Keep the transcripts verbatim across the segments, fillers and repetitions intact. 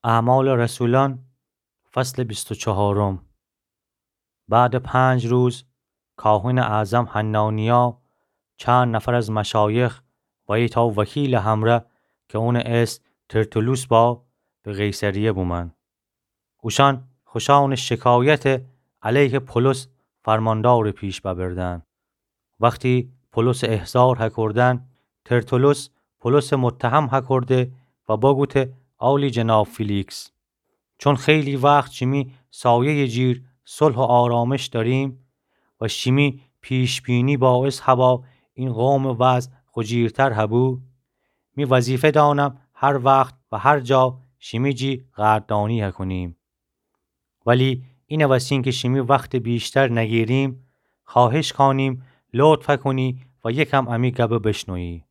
اعمال رسولان، فصل بیست و چهارم. بعد پنج روز، کاهن اعظم حنانیا، چند نفر از مشایخ و ایتأ وکیلٚ همره که اونٚ اسم ترتولوس با، به قیصریه بومأن. اوشأن خوشأنٚ شکایت علیه پولس فرماندارٚ پیش ببردن. وختی پولسٚ احضار هکردن، ترتولوس پولسٚ متهم هکرده و بگوته: عالی جناب فیلیکس، چون خیلی وخت شیمی سایه‌یٚ جیر صلح و آرامش دأریم و شیمی پیش‌بینی باعث هبا این قومٚ وضع خو جیرتر هبو، می وظیفه دأنم هر وخت و هر جا شیمی جی قدردانی هکونیم. ولی اینه وسین که شیمی وختٚ بیشتر نگیریم، خواهش کانیم لطف هکونی و یکم امی گبه بشنویی.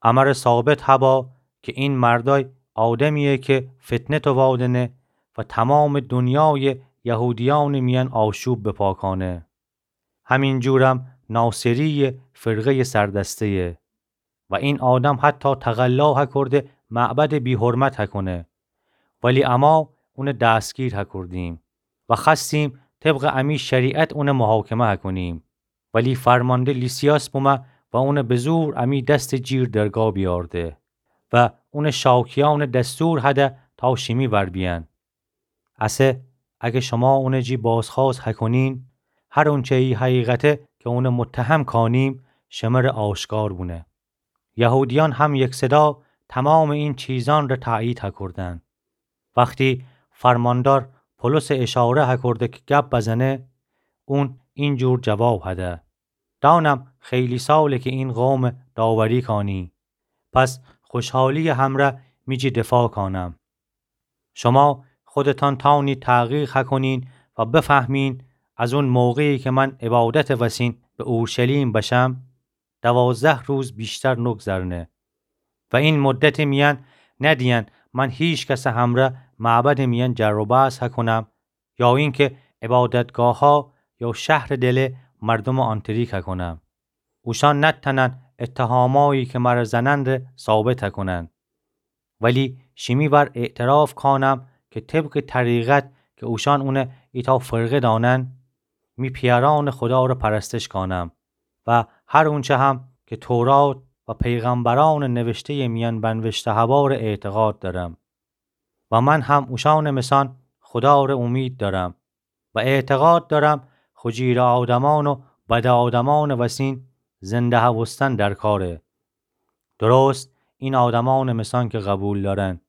امره ثابت هبا که این مردأی آدمییه که فتنه توادنه و تمامٚ دونیایٚ یهودیأنٚ میأن آشوب بپا کانه. همین جورم ناصرییٚ فرقه‌یٚ سردسته‌یه و این آدم حتی تقلا هکرده معبدٚ بی‌حرمت هکونه، ولی اما اونه دستگیر هکردیم و خوأستیم طبقٚ امی شریعت اونه محاکمه هکونیم. ولی فرمانده لیسیاس بومه و اونه به زور امی دستٚ جیر درگا بیأرده و اونه شاکیأنٚ دستور هده تا شیمی ور بیأن. اسه اگه شما اونٚ جی بازخوأست هکونین، هر اونچه ای حقیقته که اونه متهم کانیم، شمره آشکار بونه. یهودیأن هم یکصدا تمامٚ این چیزأن ره تأیید هکردن. وختی فرماندار پولسه اشاره هکرده که گب بزنه، اون این جور جواب هده: دانم خیلی ساله که این قومه داوری کانی، پس خوشحالییٚ همره می جی دفاع کانم. شما خودتأن تأنید تحقیق هکونین و بفهمین از اون موقعی که من عبادتٚ وسین به اورشلیم بشم، دوازده روز بیشتر نگذرنه و این مدتٚ میأن ندیأن من هیکسٚ همره معبدٚ میأن جر و بحث هکونم یا اینکه عبادتگاهها یا شهرٚ دله مردومه آنتریک هکونم. اوشأن نتأنن اتهامایی که مره زنن ره ثابت هکونن. ولی شیمی ور اعتراف کانم که طبقٚ طریقت که اوشأن اونه ایتأ فرقه دانن، می پیأرأنٚ خودا ره پرستش کانم و هر اونچه هم که تورات و پیغمبرأنٚ نوشته‌یٚ میأن بنوشته هبا ره اعتقاد دأرم. و من هم اوشأنٚ مثأن خودا ره اومید دأرم و اعتقاد دأرم خو جیرٚ آدمأن و بدٚ آدمأنٚ وسین زنده هوستن درکاره. درست این آدمأنٚ مثأن که قبول دأرن.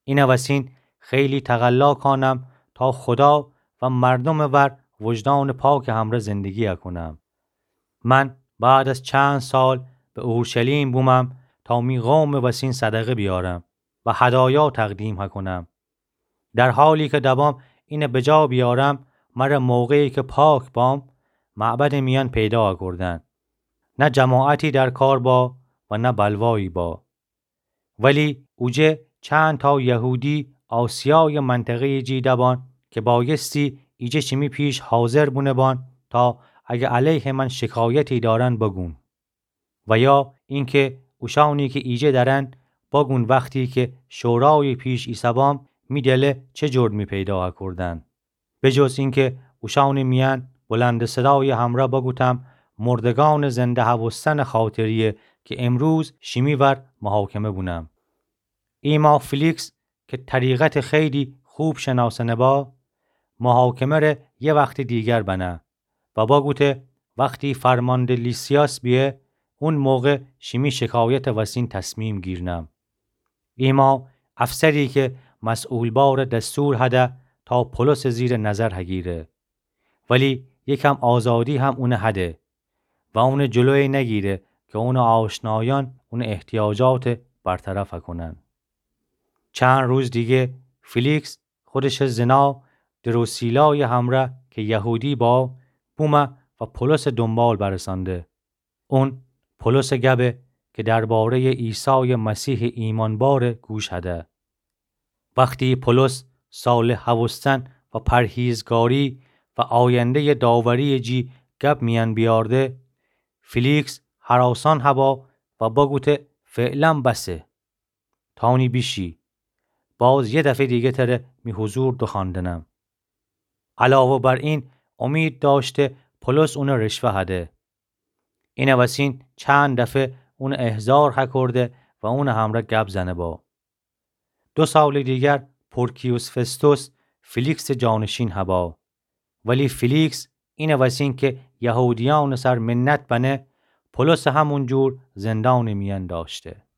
اینٚ وسین خیلی تقلا کانم تا خودا و مردومٚ ور وجدانٚ پاکٚ همره زندگی هکونم. من بعد از چند سال به اورشلیم بومم تا می قومٚ وسین صدقه بیأرم و هدایا تقدیم هکونم. در حالی که دبام اینه بجا بیأرم، مره موقعی که پاک بام، معبدٚ میأن پیدا هکردن. نه جماعتی در کار با و نه بلوایی با. ولی اوجه چند تا یهودی آسیایٚ منطقه‌یٚ جی دبان که بایستی ایجه شیمی پیش حاضر بونه بان تا اگه علیهٚ من شکایتی دأرن بگون. و یا اینکه اوشأنی که ایجه دأرن بگون وختی که شورایٚ پیش ایسه‌بام می دله چه جرمی پیدا هکردن. به جز اینکه اوشأنٚ میأن بلندٚ صدایٚ همره بگوتم مردگأنٚ زنده هوستنٚ خاطریه که امروز شیمی ور محاکمه بونم. ایما فیلیکس که طریقتٚ خیلی خوب شناسنه با، محاکمه ره یه وختٚ دیگر بنه و بگوته وختی فرمانده لیسیاس بیه، اون موقع شیمی شکایتٚ وسین تصمیم گیرنم. ایما افسری که مسئول باره دستور هده تا پولسٚ زیرٚ نظر هگیره، ولی یکم آزادی هم اونه هده و اونٚ جلویٚ نگیره که اونٚ آشنایأن اونٚ احتیاجاتٚ برطرف هکنن. چند روز دیگه فیلیکس خودشٚ زنا دروسیلایٚ همره که یهودی با، بومه و پولسٚ دونبال برسانده. اون پولسٚ گبه که درباره‌یٚ عیسایٚ مسیحٚ ایمانباره گوش هده. وختی پولس صالح هوستن و پرهیزگاری و آینده‌یٚ داوری‌یٚ جی گب میأن بیارده، فیلیکس هراسان هبا و بگوته فعلاً بسه. تانی بیشی. باز یه دفعه دیگه تره می حضور دوخواندنم. علاوه بر این، امید داشته پولس اونه رشوه هده. اینه وسین چند دفعه اونه احضار هکرده و اونه همره گب زنه با. دو سال دیگر پورکیوس فستوس فیلیکس جانشین هبا. ولی فیلیکس اینه وسین که یهودیان سر منت بنه، پولس همون جور زندان میان داشته.